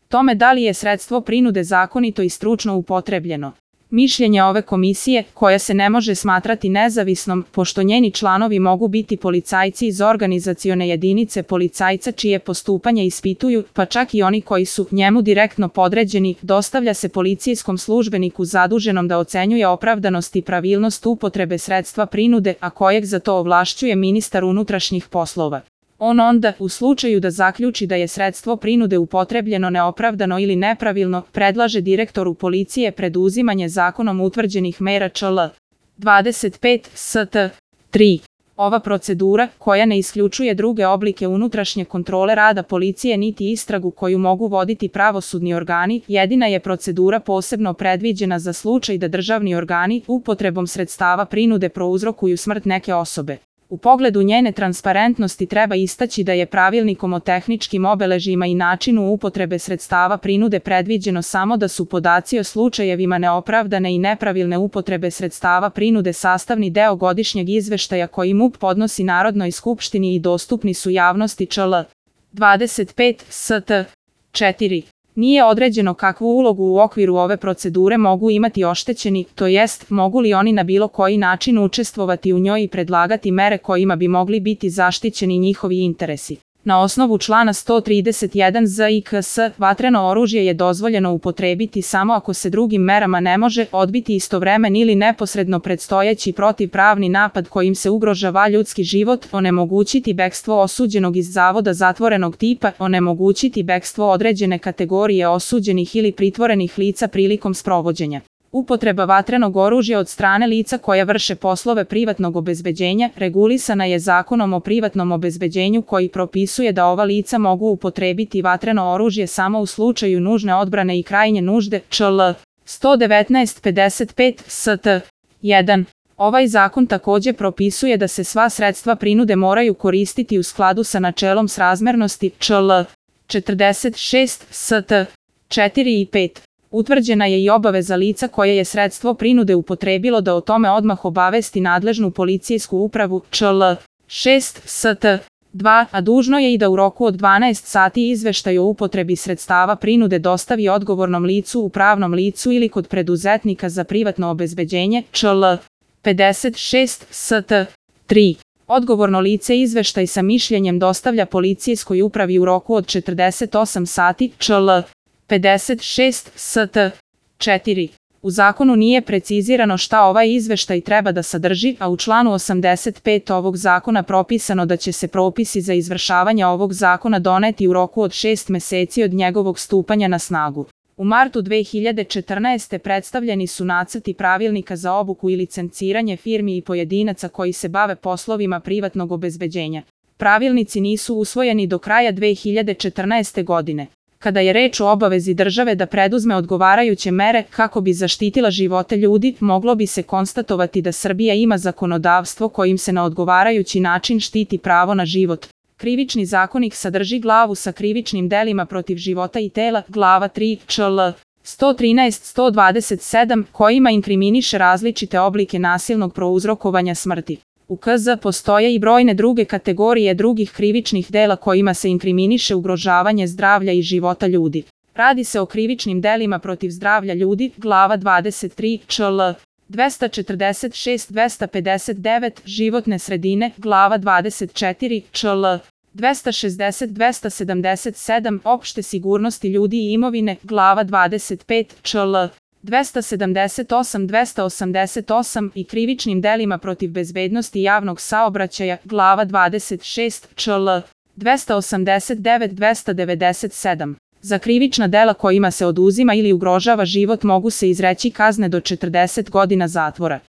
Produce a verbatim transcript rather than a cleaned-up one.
tome da li je sredstvo prinude zakonito i stručno upotrebljeno. Mišljenje ove komisije, koja se ne može smatrati nezavisnom, pošto njeni članovi mogu biti policajci iz organizacione jedinice policajca čije postupanje ispituju, pa čak i oni koji su njemu direktno podređeni, dostavlja se policijskom službeniku zaduženom da ocenjuje opravdanost i pravilnost upotrebe sredstva prinude, a kojeg za to ovlašćuje ministar unutrašnjih poslova. On onda, u slučaju da zaključi da je sredstvo prinude upotrebljeno neopravdano ili nepravilno, predlaže direktoru policije preduzimanje zakonom utvrđenih mera čl. dvadeset pet st. tri. Ova procedura, koja ne isključuje druge oblike unutrašnje kontrole rada policije niti istragu koju mogu voditi pravosudni organi, jedina je procedura posebno predviđena za slučaj da državni organi upotrebom sredstava prinude prouzrokuju smrt neke osobe. U pogledu njene transparentnosti treba istaći da je pravilnikom o tehničkim obeležjima i načinu upotrebe sredstava prinude predviđeno samo da su podaci o slučajevima neopravdane i nepravilne upotrebe sredstava prinude sastavni deo godišnjeg izveštaja koji M U P podnosi Narodnoj skupštini i dostupni su javnosti čl. dvadeset pet st. četiri. Nije određeno kakvu ulogu u okviru ove procedure mogu imati oštećeni, to jest, mogu li oni na bilo koji način učestvovati u njoj i predlagati mere kojima bi mogli biti zaštićeni njihovi interesi. Na osnovu člana sto trideset jedan z i k s, vatreno oružje je dozvoljeno upotrebiti samo ako se drugim merama ne može odbiti istovremen ili neposredno predstojeći protivpravni napad kojim se ugrožava ljudski život, onemogućiti bekstvo osuđenog iz zavoda zatvorenog tipa, onemogućiti bekstvo određene kategorije osuđenih ili pritvorenih lica prilikom sprovođenja. Upotreba vatrenog oružja od strane lica koja vrše poslove privatnog obezbeđenja regulisana je Zakonom o privatnom obezbeđenju koji propisuje da ova lica mogu upotrebiti vatreno oružje samo u slučaju nužne odbrane i krajnje nužde, čl. sto devetnaest pedeset pet st. jedan. Ovaj zakon takođe propisuje da se sva sredstva prinude moraju koristiti u skladu sa načelom srazmernosti, čl. četrdeset šest st. četiri i pet. Utvrđena je i obaveza lica koje je sredstvo prinude upotrebilo da o tome odmah obavesti nadležnu policijsku upravu, čl. šest st. dva, a dužno je i da u roku od dvanaest sati izveštaj o upotrebi sredstava prinude dostavi odgovornom licu u pravnom licu ili kod preduzetnika za privatno obezbeđenje, čl. pedeset šest st. tri. Odgovorno lice izveštaj sa mišljenjem dostavlja policijskoj upravi u roku od četrdeset osam sati, čl. pedeset šest st. četiri. U zakonu nije precizirano šta ovaj izveštaj treba da sadrži, a u članu osamdeset pet ovog zakona propisano da će se propisi za izvršavanje ovog zakona doneti u roku od šest meseci od njegovog stupanja na snagu. U martu dve hiljade četrnaeste. predstavljeni su nacrti pravilnika za obuku i licenciranje firmi i pojedinaca koji se bave poslovima privatnog obezbeđenja. Pravilnici nisu usvojeni do kraja dve hiljade četrnaeste. godine. Kada je reč o obavezi države da preduzme odgovarajuće mere kako bi zaštitila živote ljudi, moglo bi se konstatovati da Srbija ima zakonodavstvo kojim se na odgovarajući način štiti pravo na život. Krivični zakonik sadrži glavu sa krivičnim delima protiv života i tela, glava tri, čl. sto trinaest do sto dvadeset sedam, kojima inkriminiše različite oblike nasilnog prouzrokovanja smrti. U K Z postoje i brojne druge kategorije drugih krivičnih dela kojima se inkriminiše ugrožavanje zdravlja i života ljudi. Radi se o krivičnim delima protiv zdravlja ljudi, glava dvadeset tri, čl. dvesta četrdeset šest do dvesta pedeset devet, životne sredine, glava dvadeset četiri, čl. dvesta šezdeset do dvesta sedamdeset sedam, opšte sigurnosti ljudi i imovine, glava dvadeset pet, čl. dvesta sedamdeset osam do dvesta osamdeset osam i krivičnim delima protiv bezbednosti javnog saobraćaja, glava dvadeset šest, čl. dvesta osamdeset devet do dvesta devedeset sedam. Za krivična dela kojima se oduzima ili ugrožava život mogu se izreći kazne do četrdeset godina zatvora.